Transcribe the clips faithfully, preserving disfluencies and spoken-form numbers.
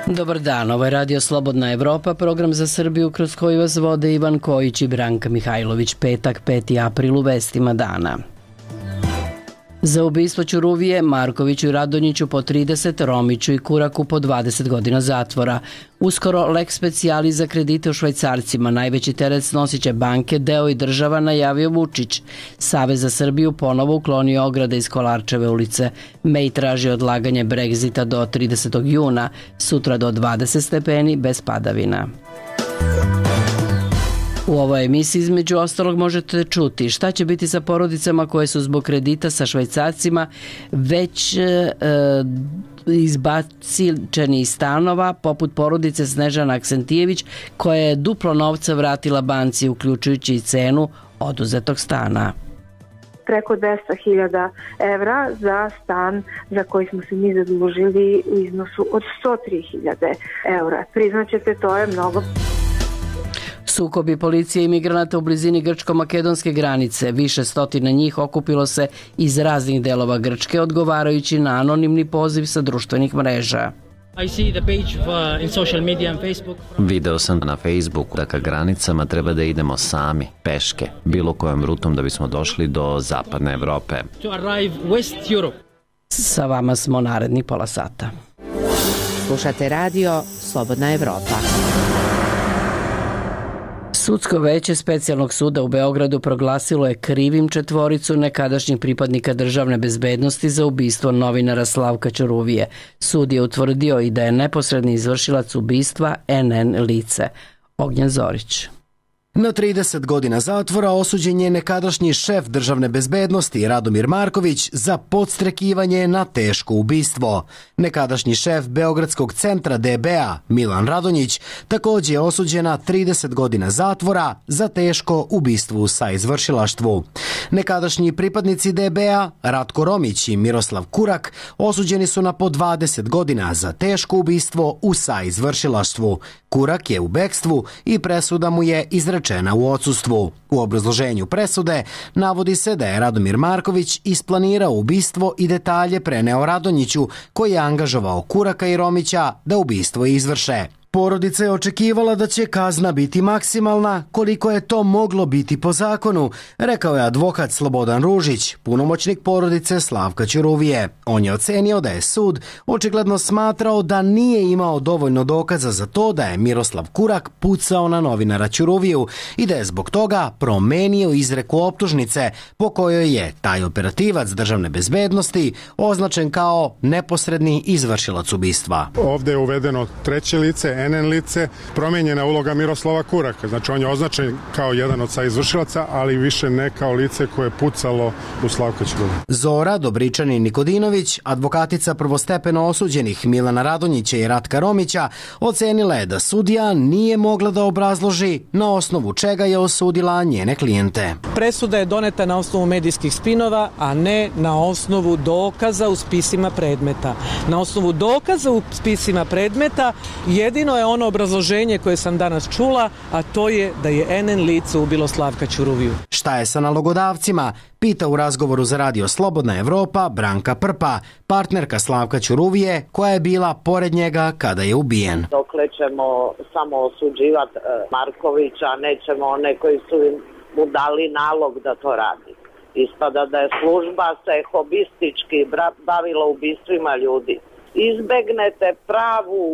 Dobar dan, ovo je Radio Slobodna Evropa, program za Srbiju kroz koji vas vode Ivan Kojić i Branka Mihajlović. Petak, peti april, u vestima dana. Za ubistvo Ćuruvije, Markoviću i Radonjiću po trideset, Romiću i Kuraku po dvadeset godina zatvora. Uskoro lex specialis za kredite u švajcarcima. Najveći teret snosit će banke, deo i država, najavio Vučić. Savez za Srbiju ponovo uklonio ograde iz Kolarčeve ulice. May traži odlaganje Brexita do tridesetog juna, sutra do dvadeset stepeni bez padavina. U ovoj emisiji između ostalog možete čuti šta će biti sa porodicama koje su zbog kredita sa švajcarcima već e, izbačeni iz stanova, poput porodice Snežana Aksentijević koja je duplo novca vratila banci uključujući i cenu oduzetog stana. Preko dvesta hiljada evra za stan za koji smo se mi zadužili u iznosu od sto tri hiljade evra. Priznaćete, to je mnogo. Sukobi policije i migranata u blizini grčko-makedonske granice. Više stotina njih okupilo se iz raznih delova Grčke, odgovarajući na anonimni poziv sa društvenih mreža. Video sam na Facebooku da ka granicama treba da idemo sami, peške, bilo kojom rutom da bismo došli do zapadne Evrope. Sa vama smo naredni pola sata. Slušate radio Slobodna Evropa. Sudsko veće Specijalnog suda u Beogradu proglasilo je krivim četvoricu nekadašnjih pripadnika državne bezbednosti za ubistvo novinara Slavka Ćuruvije. Sud je utvrdio i da je neposredni izvršilac ubistva en en lice. Ognjen Zorić. Na trideset godina zatvora osuđen je nekadašnji šef državne bezbednosti Radomir Marković za podstrekivanje na teško ubistvo. Nekadašnji šef Beogradskog centra de be a Milan Radonjić također je osuđen na trideset godina zatvora za teško ubistvo u saizvršilaštvu. Nekadašnji pripadnici de be a Ratko Romić i Miroslav Kurak osuđeni su na po dvadeset godina za teško ubistvo u saizvršilaštvu. Kurak je u bekstvu i presuda mu je izrečena u odsustvu. U obrazloženju presude navodi se da je Radomir Marković isplanirao ubistvo i detalje preneo Radonjiću, koji je angažovao Kuraka i Romića da ubistvo izvrše. Porodica je očekivala da će kazna biti maksimalna, koliko je to moglo biti po zakonu, rekao je advokat Slobodan Ružić, punomoćnik porodice Slavka Ćuruvije. On je ocenio da je sud očigledno smatrao da nije imao dovoljno dokaza za to da je Miroslav Kurak pucao na novinara Ćuruviju i da je zbog toga promenio izreku optužnice po kojoj je taj operativac državne bezbednosti označen kao neposredni izvršilac ubistva. Ovde je uvedeno treće lice, en en lice, promenjena uloga Miroslava Kuraka. Znači on je označen kao jedan od saizvršilaca, ali više ne kao lice koje je pucalo u Slavka Ćuruviju. Zora Dobričanin Nikodinović, advokatica prvostepeno osuđenih Milana Radonjića i Ratka Romića, ocenila je da sudija nije mogla da obrazloži na osnovu čega je osudila njene klijente. Presuda je doneta na osnovu medijskih spinova, a ne na osnovu dokaza u spisima predmeta. Na osnovu dokaza u spisima predmeta jedino je ono obrazloženje koje sam danas čula, a to je da je en en lice ubilo Slavka Ćuruviju. Šta je sa nalogodavcima? Pita u razgovoru za Radio Slobodna Evropa Branka Prpa, partnerka Slavka Ćuruvije, koja je bila pored njega kada je ubijen. Dokle ćemo samo osuđivati Markovića, nećemo one koji su mu dali nalog da to radi. Ispada da je služba se hobistički bavila ubistvima ljudi. Izbegnete pravu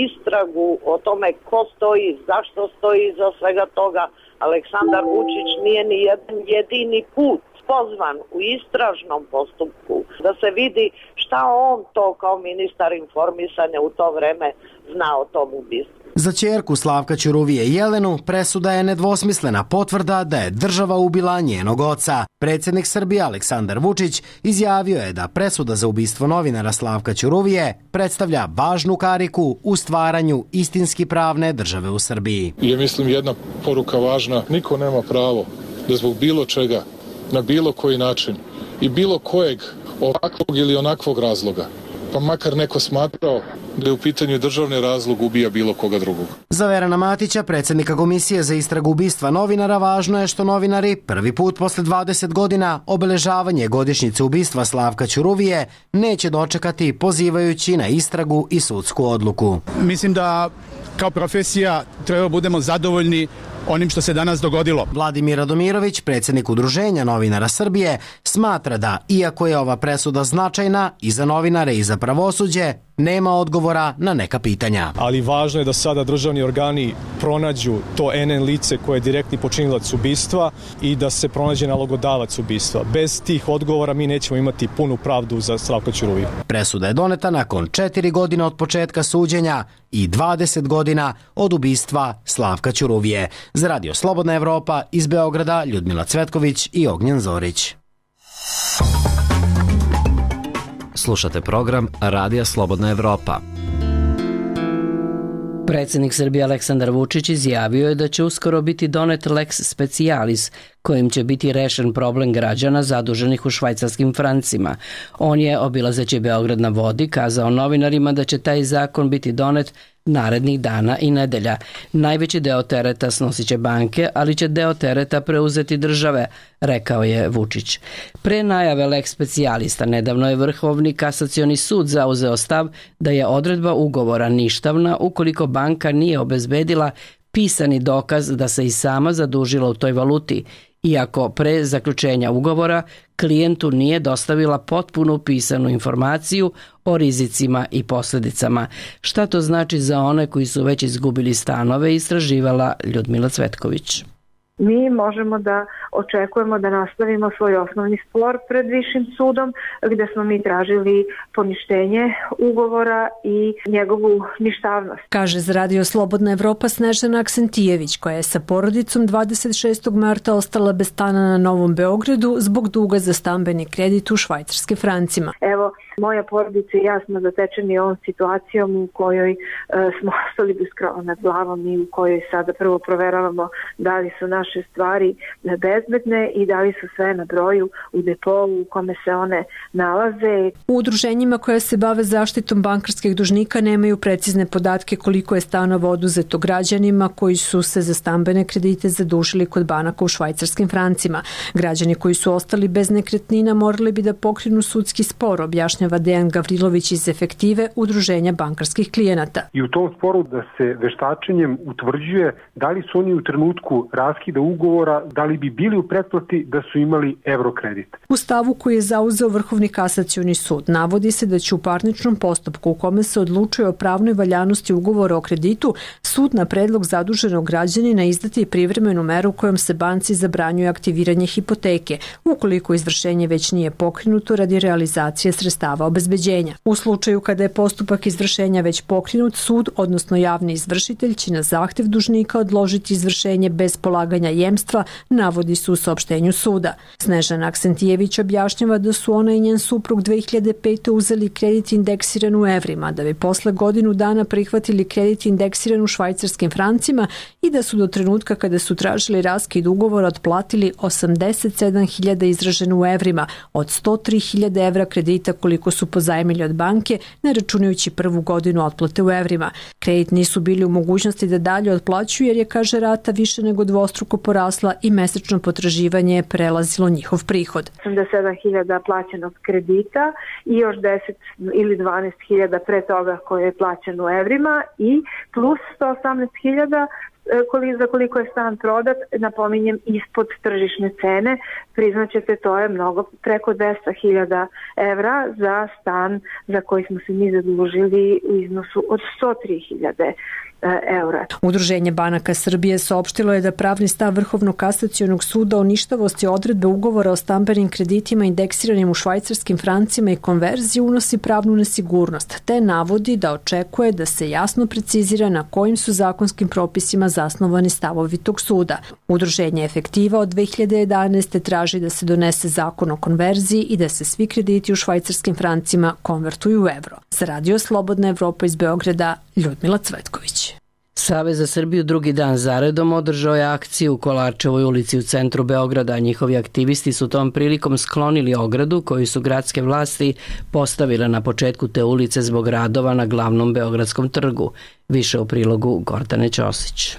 istragu o tome ko stoji, zašto stoji iza svega toga. Aleksandar Vučić nije ni jedan jedini put pozvan u istražnom postupku da se vidi šta on to kao ministar informisanja u to vreme zna o tom ubistvu. Za ćerku Slavka Ćuruvije Jelenu presuda je nedvosmislena potvrda da je država ubila njenog oca. Predsjednik Srbije Aleksandar Vučić izjavio je da presuda za ubistvo novinara Slavka Ćuruvije predstavlja važnu kariku u stvaranju istinski pravne države u Srbiji. Je, mislim, jedna poruka važna. Niko nema pravo da zbog bilo čega, na bilo koji način i bilo kojeg ovakvog ili onakvog razloga pa makar neko smatrao da je u pitanju državni razlog, ubija bilo koga drugog. Za Verana Matića, predsjednika Komisije za istragu ubistva novinara, važno je što novinari prvi put posle dvadeset godina obeležavanje godišnjice ubistva Slavka Ćuruvije neće dočekati pozivajući na istragu i sudsku odluku. Mislim da kao profesija treba budemo zadovoljni onim što se danas dogodilo. Vladimir Radomirović, predsjednik Udruženja novinara Srbije, smatra da, iako je ova presuda značajna i za novinare i za pravosuđe, nema odgovora na neka pitanja. Ali važno je da sada državni organi pronađu to en en lice koje je direktni počinilac ubistva i da se pronađe nalogodavac ubistva. Bez tih odgovora mi nećemo imati punu pravdu za Slavka Ćuruviju. Presuda je doneta nakon četiri godine od početka suđenja i dvadeset godina od ubistva Slavka Ćuruvije. Za Radio Slobodna Evropa iz Beograda Ljudmila Cvetković i Ognjen Zorić. Slušate program Radija Slobodna Evropa. Predsjednik Srbije Aleksandar Vučić izjavio je da će uskoro biti donet lex specialis kojim će biti rešen problem građana zaduženih u švajcarskim francima. On je, obilazeći Beograd na vodi, kazao novinarima da će taj zakon biti donet narednih dana i nedelja. Najveći deo tereta snosit će banke, ali će deo tereta preuzeti države, rekao je Vučić. Pre najave lex specialista nedavno je Vrhovni kasacioni sud zauzeo stav da je odredba ugovora ništavna ukoliko banka nije obezbedila pisani dokaz da se i sama zadužila u toj valuti, iako pre zaključenja ugovora klijentu nije dostavila potpunu pisanu informaciju o rizicima i posljedicama. Šta to znači za one koji su već izgubili stanove, istraživala Ljudmila Cvetković. Mi možemo da očekujemo da nastavimo svoj osnovni spor pred višim sudom gde smo mi tražili poništenje ugovora i njegovu ništavnost. Kaže za Radio Slobodna Evropa Snežana Aksentijević, koja je sa porodicom dvadeset šestog marta ostala bez stana na Novom Beogradu zbog duga za stambeni kredit u švajcarskim francima. Evo, moja porodica i ja smo zatečeni ovom situacijom u kojoj e, smo ostali bez krova nad glavom i u kojoj sada prvo proveravamo da li su naše stvari bezbedne i da li su sve na broju u depou u kome se one nalaze. U udruženjima koja se bave zaštitom bankarskih dužnika nemaju precizne podatke koliko je stanova oduzeto građanima koji su se za stambene kredite zadužili kod banaka u švajcarskim francima. Građani koji su ostali bez nekretnina morali bi da pokrenu sudski spor, objašnjava Dejan Gavrilović iz Efektive, Udruženja bankarskih klijenata. I u tom sporu da se veštačenjem utvrđuje da li su oni u trenutku raskida ugovora, da li bi bili u pretplati da su imali evrokredit. U stavu koji je zauzeo Vrhovni kasacioni sud navodi se da će u parničnom postupku u kome se odlučuje o pravnoj valjanosti ugovora o kreditu sud na predlog zaduženog građanina izdati privremenu meru kojom se banci zabranjuje aktiviranje hipoteke ukoliko izvršenje već nije pokrenuto radi realizacije sredstava obezbeđenja. U slučaju kada je postupak izvršenja već pokrenut, sud, odnosno javni izvršitelj, će na zahtev dužnika odložiti izvršenje bez polaganja jemstva, navodi se u saopštenju suda. Snežana Aksentijević objašnjava da su ona i njen suprug dve hiljade pete. uzeli kredit indeksiran u evrima, da bi posle godinu dana prihvatili kredit indeksiran u švajcarskim francima i da su do trenutka kada su tražili raskid ugovora otplatili osamdeset sedam hiljada izraženo u evrima od sto tri hiljade evra kredita koliko su pozajmili od banke, ne računajući prvu godinu otplate u evrima. Kredit nisu bili u mogućnosti da dalje otplaćuju jer je, kaže, rata više nego dvostruko porasla i mesečno potraživanje je prelazilo njihov prihod. osamdeset sedam hiljada plaćenog kredita i još deset ili dvanaest hiljada pre toga koje je plaćeno u evrima i plus sto osamnaest hiljada za koliko je stan prodat, napominjem, ispod tržišne cene. Priznaćete, to je mnogo, preko dvesta hiljada evra za stan za koji smo se mi zadužili u iznosu od sto tri hiljade eura. Udruženje banaka Srbije saopštilo je da pravni stav Vrhovnog kasacionog suda o ništavosti odredbe ugovora o stambenim kreditima indeksiranim u švajcarskim francima i konverziji unosi pravnu nesigurnost, te navodi da očekuje da se jasno precizira na kojim su zakonskim propisima zasnovani stavovi tog suda. Udruženje Efektiva od dve hiljade jedanaeste. traži da se donese zakon o konverziji i da se svi krediti u švajcarskim francima konvertuju u evro. Za Radio Slobodna Evropa iz Beograda, Ljudmila Cvetković. Savez za Srbiju drugi dan zaredom održao je akciju u Kolarčevoj ulici u centru Beograda. Njihovi aktivisti su tom prilikom sklonili ogradu koju su gradske vlasti postavile na početku te ulice zbog radova na glavnom beogradskom trgu. Više u prilogu Gordane Ćosić.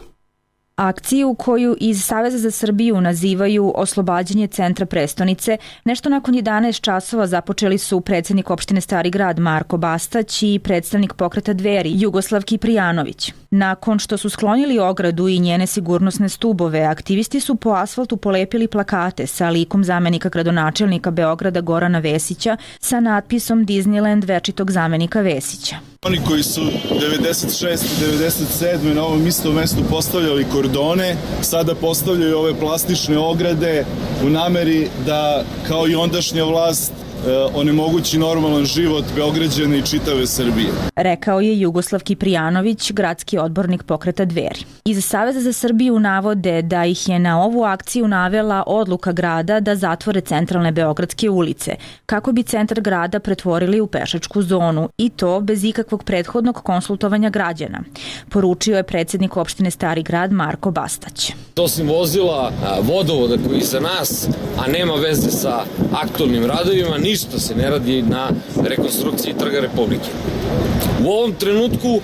Akciju koju iz Saveza za Srbiju nazivaju oslobađanje centra prestonice, nešto nakon jedanaest časova započeli su predsjednik opštine Stari grad Marko Bastać i predstavnik pokreta Dveri Jugoslav Kiprijanović. Nakon što su sklonili ogradu i njene sigurnosne stubove, aktivisti su po asfaltu polepili plakate sa likom zamenika gradonačelnika Beograda Gorana Vesića sa natpisom Disneyland večitog zamenika Vesića. Oni koji su devedeset šeste devedeset sedme na ovom istom mestu postavljali kordone, sada postavljaju ove plastične ograde u nameri da, kao i ondašnja vlast, onemogući normalan život Beograđana i čitave Srbije. Rekao je Jugoslav Kiprijanović, gradski odbornik pokreta Dveri. Iz Saveza za Srbiju navode da ih je na ovu akciju navela odluka grada da zatvore centralne beogradske ulice, kako bi centar grada pretvorili u pešačku zonu, i to bez ikakvog prethodnog konsultovanja građana, poručio je predsjednik opštine Stari grad Marko Bastać. Osim vozila vodovoda koji je iza nas, a nema veze sa aktualnim radovima, ništa se ne radi na rekonstrukciji Trga Republike. U ovom trenutku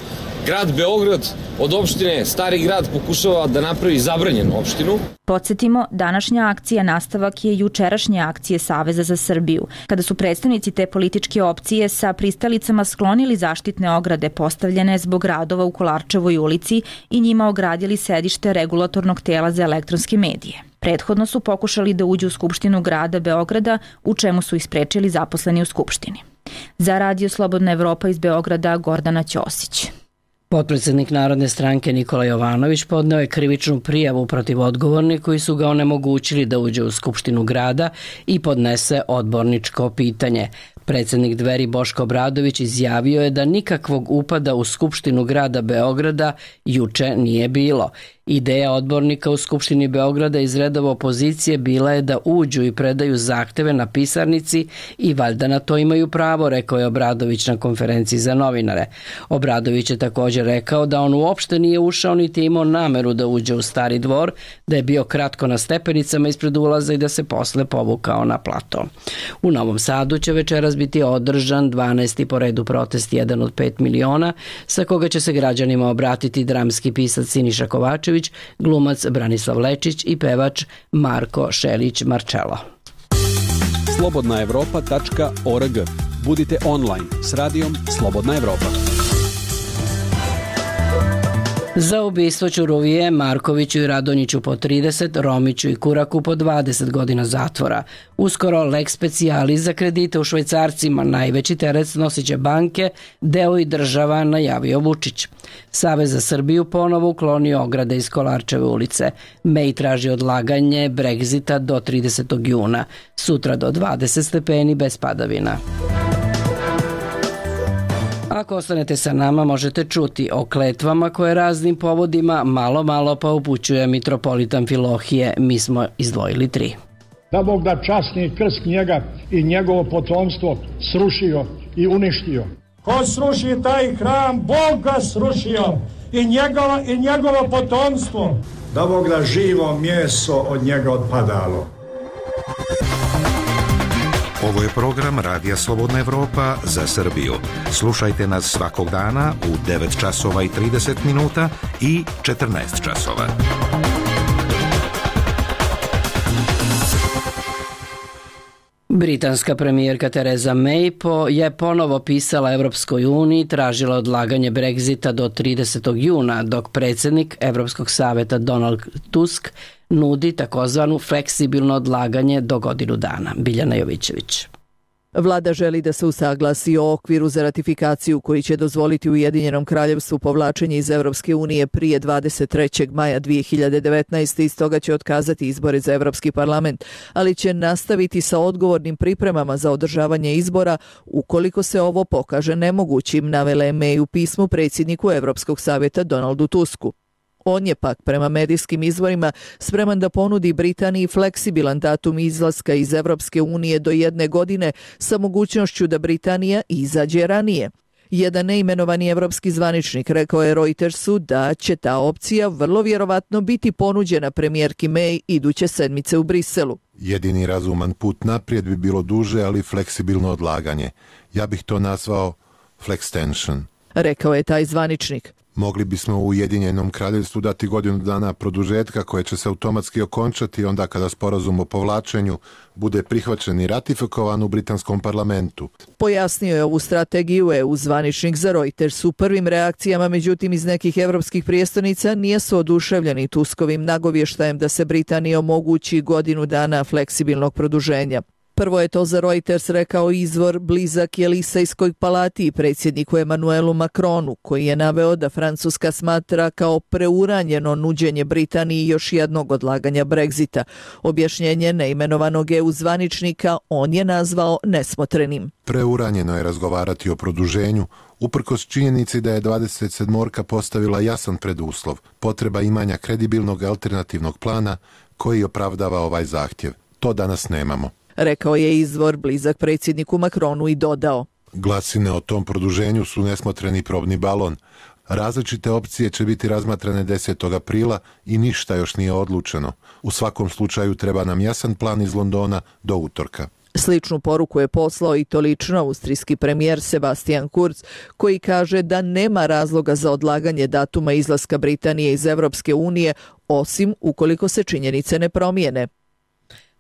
grad Beograd od opštine Stari grad pokušava da napravi zabranjenu opštinu. Podsjetimo, današnja akcija nastavak je jučerašnje akcije Saveza za Srbiju, kada su predstavnici te političke opcije sa pristalicama sklonili zaštitne ograde postavljene zbog radova u Kolarčevoj ulici i njima ogradili sedište regulatornog tela za elektronske medije. Prethodno su pokušali da uđu u Skupštinu grada Beograda, u čemu su ih sprečili zaposleni u Skupštini. Za Radio Slobodna Evropa iz Beograda, Gordana Ćosić. Potpredsjednik Narodne stranke Nikola Jovanović podneo je krivičnu prijavu protiv odgovornih koji su ga onemogućili da uđe u Skupštinu grada i podnese odborničko pitanje. Predsjednik Dveri Boško Obradović izjavio je da nikakvog upada u Skupštinu grada Beograda juče nije bilo. Ideja odbornika u Skupštini Beograda iz redova opozicije bila je da uđu i predaju zahteve na pisarnici i valjda na to imaju pravo, rekao je Obradović na konferenciji za novinare. Obradović je također rekao da on uopšte nije ušao niti imao nameru da uđe u Stari dvor, da je bio kratko na stepenicama ispred ulaza i da se posle povukao na plato. U Novom Sadu će večeras biti održan dvanaesti po redu protest jedan od pet miliona, sa koga će se građanima obratiti dramski pisac Siniša Kovačević, glumac Branislav Lečić i pevač Marko Šelić-Marčelo. slobodna evropa tačka org. Budite online s radijom Slobodna Evropa. Za ubistvo Ćuruvije, Markoviću i Radonjiću po trideset, Romiću i Kuraku po dvadeset godina zatvora. Uskoro lex specialis za kredite u švajcarcima, najveći teret snosit će banke, deo i država, najavio Vučić. Savez za Srbiju ponovo uklonio ograde iz Kolarčeve ulice. May traži odlaganje Brexita do tridesetog juna, sutra do dvadeset stepeni bez padavina. Ako ostanete sa nama, možete čuti o kletvama koje raznim povodima malo malo pa upućuje mitropolitan Filohije. Mi smo izdvojili tri. Da Bog da časni krst njega i njegovo potomstvo srušio i uništio. Ko sruši taj hram, Bog ga srušio i, njegova, i njegovo potomstvo. Da Bog da živo mjeso od njega odpadalo. Ovo je program Radija Slobodna Evropa za Srbiju. Slušajte nas svakog dana u devet časova i trideset minuta i četrnaest časova. Britanska premijerka Theresa May po je ponovo pisala Evropskoj uniji, tražila odlaganje Brexita do tridesetog juna, dok predsjednik Evropskog saveta Donald Tusk nudi takozvanu fleksibilno odlaganje do godinu dana. Biljana Jovićević. Vlada želi da se usaglasi o okviru za ratifikaciju koji će dozvoliti Ujedinjenom kraljevstvu povlačenje iz Evropske unije prije dvadeset trećeg maja dvije hiljade devetnaeste i stoga će otkazati izbore za Evropski parlament, ali će nastaviti sa odgovornim pripremama za održavanje izbora ukoliko se ovo pokaže nemogućim, navela je May u pismu predsjedniku Evropskog savjeta Donaldu Tusku. On je pak prema medijskim izvorima spreman da ponudi Britaniji fleksibilan datum izlaska iz Evropske unije do jedne godine sa mogućnošću da Britanija izađe ranije. Jedan neimenovani evropski zvaničnik rekao je Reutersu da će ta opcija vrlo vjerovatno biti ponuđena premijerki May iduće sedmice u Briselu. Jedini razuman put naprijed bi bilo duže, ali fleksibilno odlaganje. Ja bih to nazvao flextension. Rekao je taj zvaničnik. Mogli bismo u Ujedinjenom kraljevstvu dati godinu dana produžetka koje će se automatski okončati onda kada sporazum o povlačenju bude prihvaćen i ratifikovan u britanskom parlamentu. Pojasnio je ovu strategiju E U zvaničnik za Reuters. U prvim reakcijama, međutim, iz nekih evropskih prijestolnica nisu oduševljeni Tuskovim nagovještajem da se Britaniji omogući godinu dana fleksibilnog produženja. Prvo je to za Reuters rekao izvor blizak Jelisejskoj palati i predsjedniku Emanuelu Macronu, koji je naveo da Francuska smatra kao preuranjeno nuđenje Britaniji još jednog odlaganja Brexita. Objašnjenje neimenovanog E U zvaničnika on je nazvao nesmotrenim. Preuranjeno je razgovarati o produženju, uprkos činjenici da je dvadeset sedmorka postavila jasan preduslov, potreba imanja kredibilnog alternativnog plana koji opravdava ovaj zahtjev. To danas nemamo. Rekao je izvor blizak predsjedniku Macronu i dodao. Glasine o tom produženju su nesmotreni probni balon. Različite opcije će biti razmatrane desetog aprila i ništa još nije odlučeno. U svakom slučaju treba nam jasan plan iz Londona do utorka. Sličnu poruku je poslao i to lično austrijski premijer Sebastian Kurz, koji kaže da nema razloga za odlaganje datuma izlaska Britanije iz Evropske unije, osim ukoliko se činjenice ne promijene.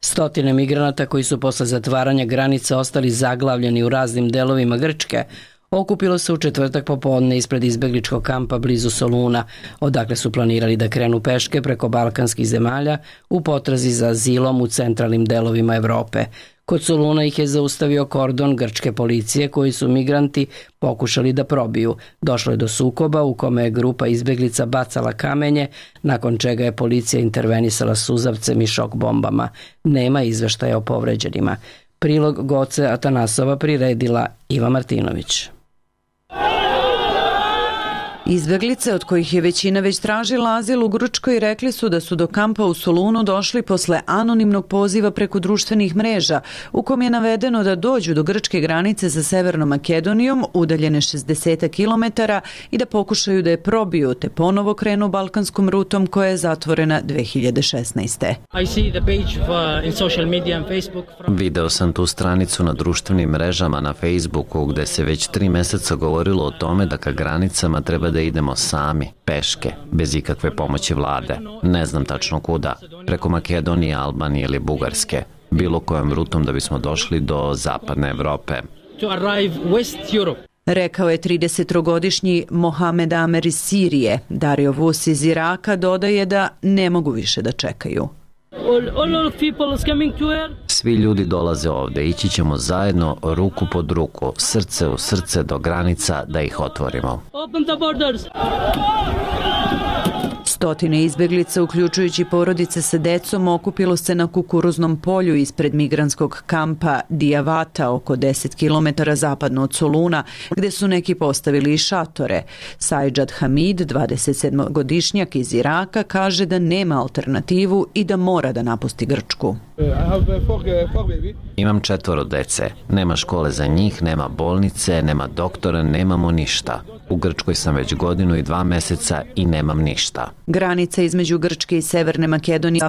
Stotine migranata koji su posle zatvaranja granica ostali zaglavljeni u raznim delovima Grčke okupilo se u četvrtak popodne ispred izbegličkog kampa blizu Soluna, odakle su planirali da krenu peške preko balkanskih zemalja u potrazi za azilom u centralnim delovima Evrope. Kod Soluna ih je zaustavio kordon grčke policije koji su migranti pokušali da probiju. Došlo je do sukoba u kome je grupa izbeglica bacala kamenje, nakon čega je policija intervenisala suzavcem i šok bombama. Nema izveštaja o povređenima. Prilog Goce Atanasova priredila Iva Martinović. Izbeglice, od kojih je većina već tražila azil u Grčkoj, rekli su da su do kampa u Solunu došli posle anonimnog poziva preko društvenih mreža, u kom je navedeno da dođu do grčke granice sa Severnom Makedonijom, udaljene šezdeset kilometara, i da pokušaju da je probiju, te ponovo krenu balkanskom rutom koja je zatvorena dve hiljade šesnaeste. Video sam tu stranicu na društvenim mrežama na Facebooku gde se već tri meseca govorilo o tome da ka granicama treba da idemo sami, peške, bez ikakve pomoći vlade. Ne znam tačno kuda, preko Makedonije, Albanije ili Bugarske, bilo kojom rutom da bismo došli do zapadne Evrope. Rekao je tridesettrogodišnji Mohamed Amer iz Sirije. Dario Vus iz Iraka dodaje da ne mogu više da čekaju. Svi ljudi dolaze ovde, ići ćemo zajedno ruku pod ruku, srce u srce do granica da ih otvorimo. Stotine izbeglica, uključujući porodice sa decom, okupilo se na kukuruznom polju ispred migranskog kampa Dijavata, oko deset kilometara zapadno od Soluna, gde su neki postavili i šatore. Sajđad Hamid, dvadesetsedmogodišnjak iz Iraka, kaže da nema alternativu i da mora da napusti Grčku. Imam četvoro dece. Nema škole za njih, nema bolnice, nema doktora, nemamo ništa. U Grčkoj sam već godinu i dva meseca i nemam ništa. Granica između Grčke i Severne Makedonije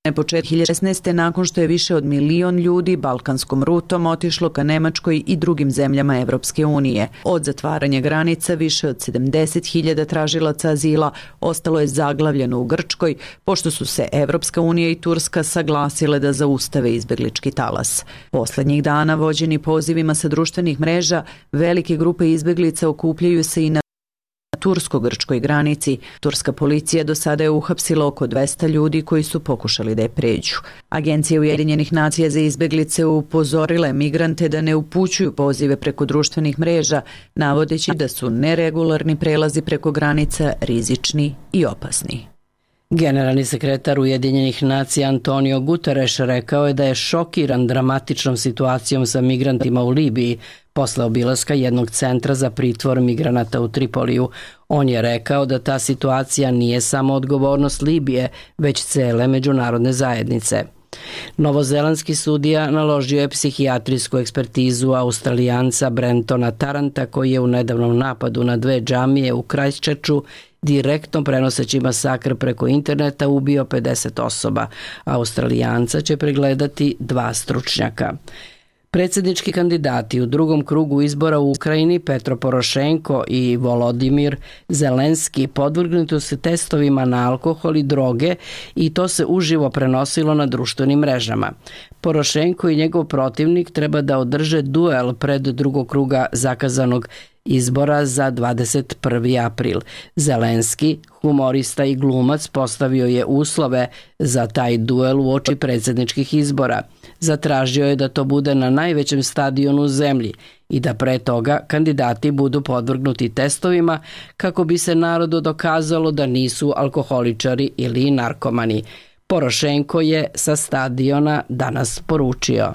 je početak hiljade šesnaeste. nakon što je više od milion ljudi balkanskom rutom otišlo ka Nemačkoj i drugim zemljama Evropske unije. Od zatvaranja granica više od sedamdeset hiljada tražilaca azila ostalo je zaglavljeno u Grčkoj, pošto su se Evropska unija i Turska saglasile da zaustave izbeglički talas. Poslednjih dana, vođeni pozivima sa društvenih mreža, velike grupe izbeglica okupljaju se i na tursko-grčkoj granici. Turska policija do sada je uhapsila oko dvesta ljudi koji su pokušali da je pređu. Agencija Ujedinjenih nacija za izbeglice upozorile migrante da ne upućuju pozive preko društvenih mreža, navodeći da su neregularni prelazi preko granica rizični i opasni. Generalni sekretar Ujedinjenih nacija Antonio Guterres rekao je da je šokiran dramatičnom situacijom sa migrantima u Libiji posle obilaska jednog centra za pritvor migranata u Tripoliju. On je rekao da ta situacija nije samo odgovornost Libije, već cele međunarodne zajednice. Novozelandski sudija naložio je psihijatrijsku ekspertizu Australijanca Brentona Taranta, koji je u nedavnom napadu na dve džamije u Christchurchu direktno prenoseći masakr preko interneta ubio pedeset osoba. Australijanca će pregledati dva stručnjaka. Predsjednički kandidati u drugom krugu izbora u Ukrajini Petro Porošenko i Volodimir Zelenski podvrgnuti su testovima na alkohol i droge i to se uživo prenosilo na društvenim mrežama. Porošenko i njegov protivnik treba da održe duel pred drugog kruga zakazanog izbora za dvadeset prvi april. Zelenski, humorista i glumac, postavio je uslove za taj duel uoči predsjedničkih izbora. Zatražio je da to bude na najvećem stadionu u zemlji i da pre toga kandidati budu podvrgnuti testovima kako bi se narodu dokazalo da nisu alkoholičari ili narkomani. Porošenko je sa stadiona danas poručio: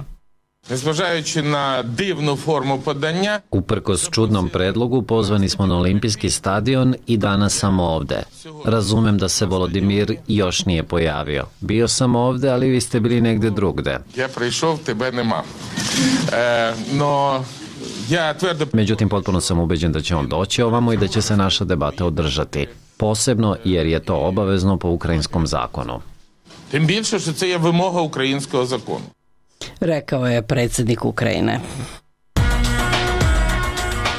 Незважаючи на дивну форму подання, uprkos čudnom predlogu pozvani smo na olimpijski stadion i danas sam ovde. Razumem da se Volodimir još nije pojavio. Bio sam ovde, ali vi ste bili negde drugde. я прийшов, тебе нема. Е, но я твердо... Međutim, potpuno sam ubeđen da će on doći ovamo i da će se naša debata održati. Posebno jer je to obavezno po ukrajinskom zakonu. Тим більше, що це є вимога українського закону. Rekao je predsjednik Ukrajine.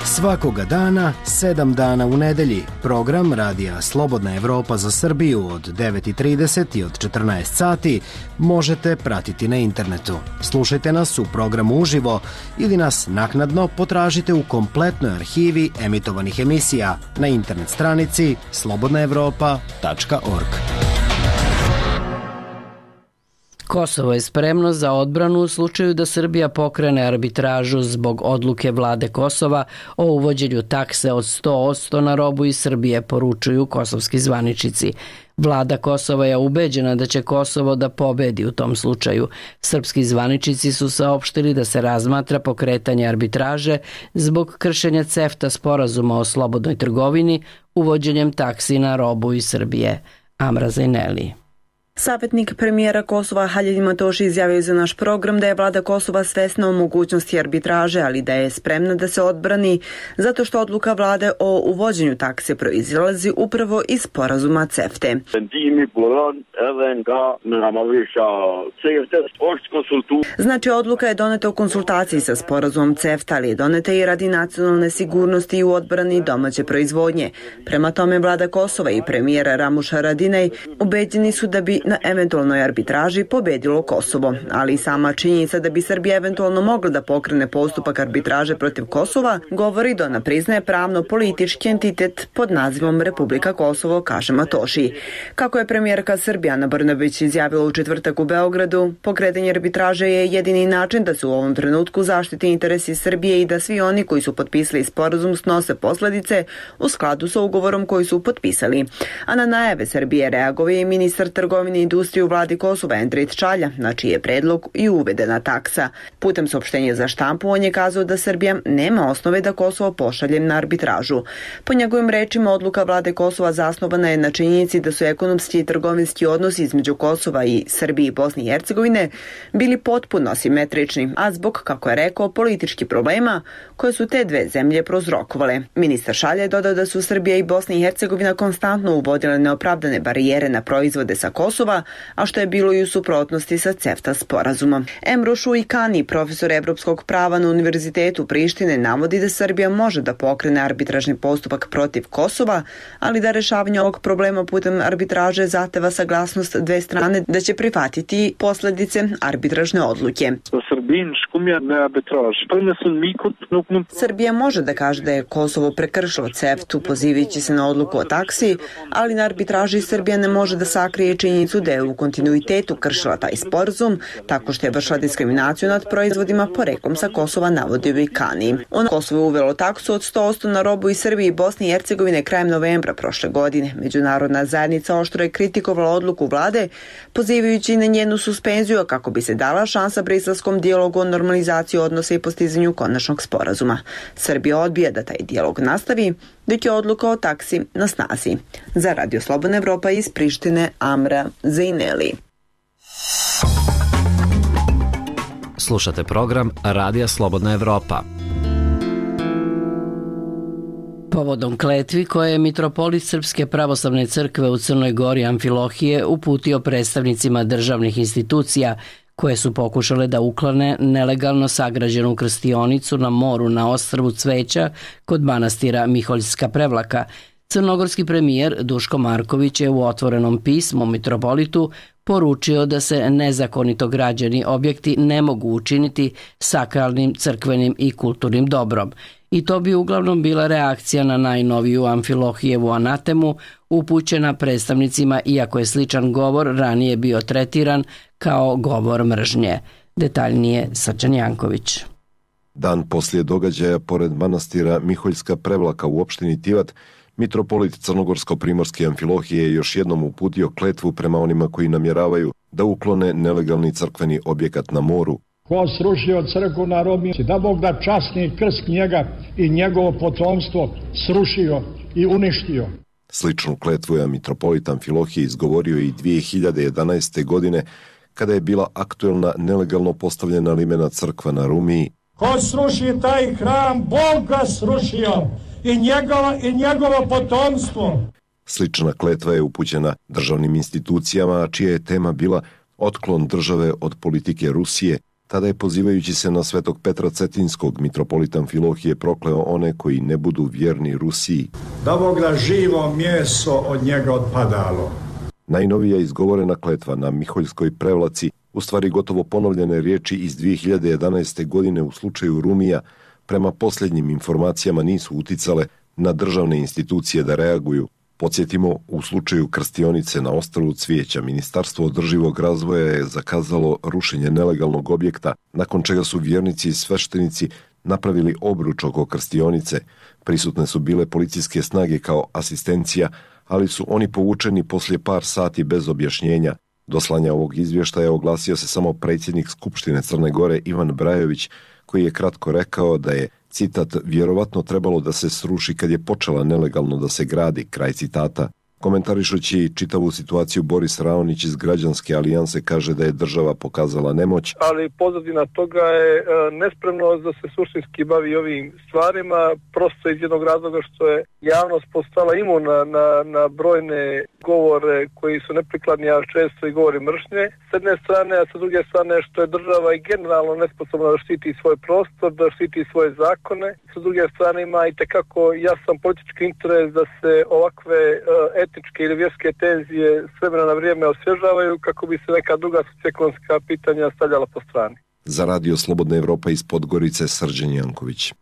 Svakoga dana, sedam dana u nedelji, program Radija Slobodna Evropa za Srbiju od devet i trideset i od četrnaest sati možete pratiti na internetu. Slušajte nas u programu uživo ili nas naknadno potražite u kompletnoj arhivi emitovanih emisija na internet stranici slobodna evropa tačka org. Kosovo je spremno za odbranu u slučaju da Srbija pokrene arbitražu zbog odluke vlade Kosova o uvođenju takse od sto posto na robu iz Srbije, poručuju kosovski zvaničnici. Vlada Kosova je ubeđena da će Kosovo da pobedi u tom slučaju. Srpski zvaničnici su saopštili da se razmatra pokretanje arbitraže zbog kršenja CEFTA sporazuma o slobodnoj trgovini uvođenjem taksi na robu iz Srbije. Amra Zajneli. Savjetnik premijera Kosova Halil Matoši izjavio za naš program da je vlada Kosova svesna o mogućnosti arbitraže, ali da je spremna da se odbrani zato što odluka vlade o uvođenju takse proizilazi upravo iz sporazuma CEFTE. Znači, odluka je doneta u konsultaciji sa sporazumom CEFTA, ali je doneta i radi nacionalne sigurnosti i u odbrani domaće proizvodnje. Prema tome, vlada Kosova i premijera Ramuš Haradinaj ubeđeni su da bi na eventualnoj arbitraži pobedilo Kosovo, ali i sama činjenica da bi Srbija eventualno mogla da pokrene postupak arbitraže protiv Kosova govori da ona priznaje pravno-politički entitet pod nazivom Republika Kosovo, kaže Matoši. Kako je premijerka Srbije Ana Brnabić izjavila u četvrtak u Beogradu, pokretanje arbitraže je jedini način da se u ovom trenutku zaštiti interesi Srbije i da svi oni koji su potpisali sporazum snose posledice u skladu sa ugovorom koji su potpisali. A na najave Srbije reagovao je ministar trgovine i industrije u vladi Kosova Endrit Čalja, na čiji je predlog i uvedena taksa. Putem saopštenja za štampu on je kazao da Srbija nema osnove da Kosovo pošalje na arbitražu. Po njegovim rečima, odluka vlade Kosova zasnovana je na činjenici da su ekonomski i trgovinski odnosi između Kosova i Srbije i Bosne i Hercegovine bili potpuno asimetrični, a zbog, kako je rekao, političkih problema koje su te dve zemlje prouzrokovale. Ministar Šalja je dodao da su Srbija i Bosna i Hercegovina konstantno uvodile neopravdane barijere na proizvode sa Kosova, a što je bilo i u suprotnosti sa CEFTA sporazumom. Emro Šuikani, profesor evropskog prava na Univerzitetu Prištine, navodi da Srbija može da pokrene arbitražni postupak protiv Kosova, ali da rešavanje ovog problema putem arbitraže zahteva saglasnost dve strane da će prihvatiti posledice arbitražne odluke. Srbija može da kaže da je Kosovo prekršilo CEFTA-u pozivajući se na odluku o taksi, ali na arbitraži Srbija ne može da sakrije činjenicu da je u kontinuitetu kršila taj sporazum tako što je vršila diskriminaciju nad proizvodima poreklom sa Kosova, navodio Vikani. Ono Kosovo je uvelo taksu od sto posto na robu iz Srbije i Bosne i Hercegovine krajem novembra prošle godine. Međunarodna zajednica oštro je kritikovala odluku vlade, pozivajući na njenu suspenziju kako bi se dala šansa briselskom dijalogu o normalizaciji odnosa i postizanju konačnog sporazuma. Srbija odbija da taj dijalog nastavi, dok je odluka o taksi na snazi. Za Radio Slobodna Evropa iz Prištine, Amra Zajneli. Slušate program Radija Slobodna Evropa. Povodom kletvi koje je mitropolit Srpske pravoslavne crkve u Crnoj Gori Amfilohije uputio predstavnicima državnih institucija koje su pokušale da uklone nelegalno sagrađenu krstionicu na moru na ostrvu Cveća kod manastira Miholjska Prevlaka, crnogorski premijer Duško Marković je u otvorenom pismu mitropolitu poručio da se nezakonito građeni objekti ne mogu učiniti sakralnim, crkvenim i kulturnim dobrom. I to bi uglavnom bila reakcija na najnoviju Amfilohijevu anatemu upućena predstavnicima, iako je sličan govor ranije bio tretiran kao govor mržnje. Detaljnije Srđan Janković. Dan poslije događaja pored manastira Miholjska Prevlaka u opštini Tivat, mitropolit Crnogorsko-primorske Amfilohije je još jednom uputio kletvu prema onima koji namjeravaju da uklone nelegalni crkveni objekat na moru. Ko srušio crkvu na Romi, da Bog da časni krst njega i njegovo potomstvo srušio i uništio. Sličnu kletvu je mitropolit Amfilohije izgovorio i dvije hiljade jedanaeste. godine kada je bila aktuelna nelegalno postavljena limena crkva na Rumiji. Ko sruši taj hram, Bog ga srušio i njegova i njegovo potomstvo. Slična kletva je upućena državnim institucijama, čija je tema bila otklon države od politike Rusije. Tada je, pozivajući se na svetog Petra Cetinskog, mitropolit Amfilohije prokleo one koji ne budu vjerni Rusiji. Da Bog da živo mjeso od njega odpadalo. Najnovija izgovorena kletva na Miholjskoj Prevlaci, u stvari gotovo ponovljene riječi iz dvije hiljade jedanaeste. godine u slučaju Rumija, prema posljednjim informacijama nisu uticale na državne institucije da reaguju. Podsjetimo, u slučaju krstionice na ostrvu Cvijeća, Ministarstvo održivog razvoja je zakazalo rušenje nelegalnog objekta, nakon čega su vjernici i sveštenici napravili obruč oko krstionice. Prisutne su bile policijske snage kao asistencija, ali su oni povučeni poslije par sati bez objašnjenja. Do slanja ovog izvještaja oglasio se samo predsjednik Skupštine Crne Gore Ivan Brajović, koji je kratko rekao da je, citat, vjerovatno trebalo da se sruši kad je počela nelegalno da se gradi, kraj citata. Komentarišući čitavu situaciju, Boris Raonić iz Građanske alijanse kaže da je država pokazala nemoć. Ali pozadina toga je nespremnost da se suštinski bavi ovim stvarima, prosto iz jednog razloga što je javnost postala imuna na, na brojne govore koji su neprikladni, a često i govori mržnje. S jedne strane, a sa druge strane što je država i generalno nesposobna da štiti svoj prostor, da štiti svoje zakone. Sa druge strane ima i tekako jasan politički interes da se ovakve etičke ili vjerske tenzije s vremena na vrijeme osvježavaju kako bi se neka druga socioekonomska pitanja stavljala po strani. Za Radio Slobodna Evropa iz Podgorice, Srđan Janković.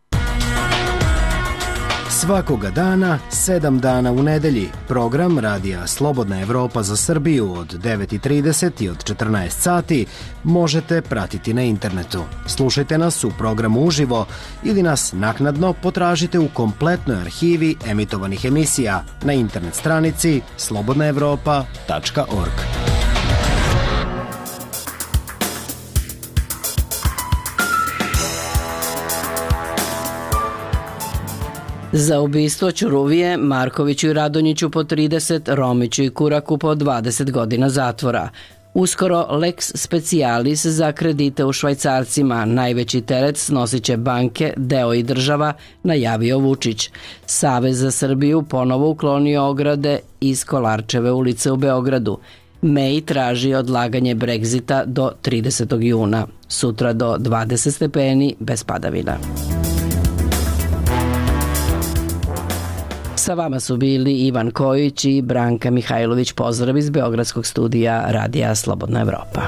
Svakoga dana, sedam dana u nedelji, program Radija Slobodna Evropa za Srbiju od devet i trideset i od četrnaest sati možete pratiti na internetu. Slušajte nas u programu uživo ili nas naknadno potražite u kompletnoj arhivi emitovanih emisija na internet stranici slobodna evropa tačka org. Za ubistvo Ćuruvije, Markoviću i Radonjiću po trideset, Romiću i Kuraku po dvadeset godina zatvora. Uskoro lex specialis za kredite u švajcarcima, najveći teret snosit će banke, deo i država, najavio Vučić. Savez za Srbiju ponovo uklonio ograde iz Kolarčeve ulice u Beogradu. May traži odlaganje Brexita do tridesetog juna. Sutra do dvadeset stepeni bez padavina. Sa vama su bili Ivan Kojić i Branka Mihajlović. Pozdrav iz Beogradskog studija Radija Slobodna Evropa.